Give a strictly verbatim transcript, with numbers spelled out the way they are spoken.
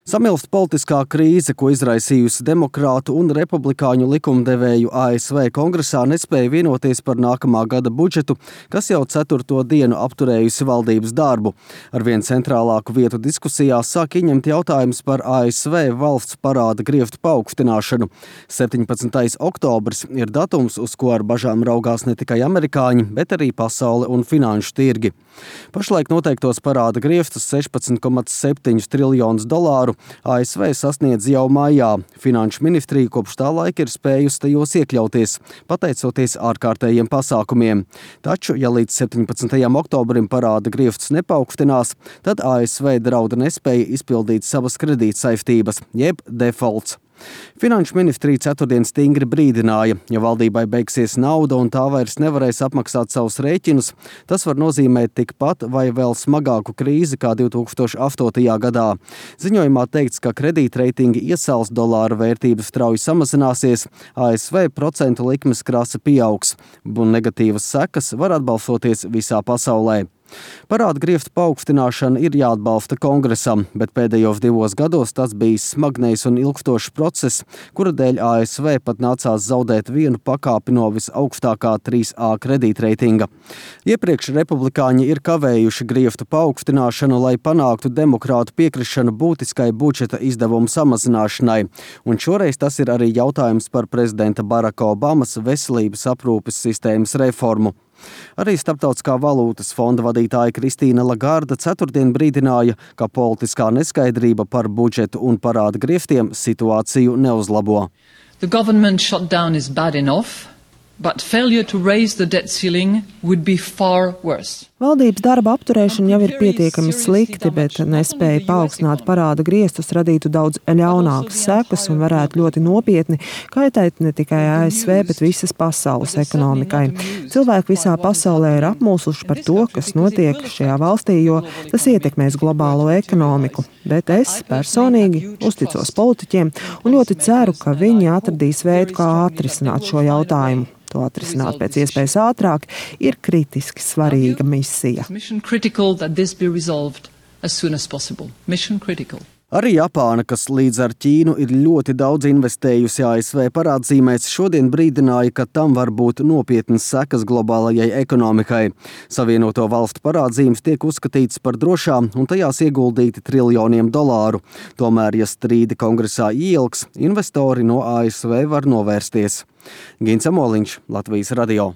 Samilst politiskā krīze, ko izraisījusi demokrātu un republikāņu likumdevēju A S V kongresā, nespēja vienoties par nākamā gada budžetu, kas jau ceturto dienu apturējusi valdības darbu. Arvien centrālāku vietu diskusijās sāk ieņemt jautājums par A S V valsts parāda grieftu paaugstināšanu. septiņpadsmitais oktobris ir datums, uz ko ar bažām raugās ne tikai amerikāņi, bet arī pasaule un finanšu tirgi. Pašlaik noteiktos parāda grieftus sešpadsmit komats septiņi triljonus dolāru A S V sasniedz jau maijā. Finanšu ministrija kopš tā laika ir spējusi tajos iekļauties, pateicoties ārkārtējiem pasākumiem. Taču, ja līdz septiņpadsmitajam oktobrim parāda grieftus nepaukstinās, tad A S V drauda nespēja izpildīt savas kredītsaistības, jeb defaults. Finanšu ministrija ceturtdien stingri brīdināja, ja valdībai beigsies nauda un tā vairs nevarēs apmaksāt savus rēķinus, tas var nozīmēt tikpat vai vēl smagāku krīzi kā divi tūkstoši astotajā gadā. Ziņojumā teikts, ka kredītreitingi iesals, dolāra vērtība strauji samazināsies, A S V procentu likmes krasa pieaugs, un negatīvas sekas var atbalsoties visā pasaulē. Parāda grieftu paaugstināšana ir jāatbalsta kongresam, bet pēdējos divos gados tas bijis smagnējs un ilgstošs process, kura dēļ A S V pat nācās zaudēt vienu pakāpi no visaugstākā trīs A kredītreitinga. Iepriekš republikāņi ir kavējuši grieftu paaugstināšanu, lai panāktu demokrātu piekrišanu būtiskai budžeta izdevumu samazināšanai, un šoreiz tas ir arī jautājums par prezidenta Baraka Obamas veselības aprūpes sistēmas reformu. Arī Starptautiskā valūtas fonda vadītāja Kristīna Lagarde ceturtdien brīdināja, ka politiskā neskaidrība par budžetu un parāda grieftiem situāciju neuzlabo. The government shutdown is bad enough, but failure to raise the debt ceiling would be far worse. Valdības darba apturēšana jau ir pietiekami slikti, bet nespēja paaugstināt parāda griestus radītu daudz ļaunākas sekas un varētu ļoti nopietni kaitēt ne tikai A S V, bet visas pasaules ekonomikai. Cilvēki visā pasaulē ir apmulsuši par to, kas notiek šajā valstī, jo tas ietekmēs globālo ekonomiku. Bet es personīgi uzticos politiķiem un ļoti ceru, ka viņi atradīs veidu, kā atrisināt šo jautājumu. To atrisināt pēc iespējas ātrāk ir kritiski svarīga misija. Arī Japāna, kas līdz ar Ķīnu ir ļoti daudz investējusi A S V parādzīmēs, šodien brīdināja, ka tam var būt nopietnas sekas globālajai ekonomikai. Savienoto valstu parādzīmes tiek uzskatītas par drošām un tajās ieguldīti triljoniem dolāru. Tomēr, ja strīdi kongresā ielgs, investori no A S V var novērsties. Gins Amoliņš, Latvijas radio.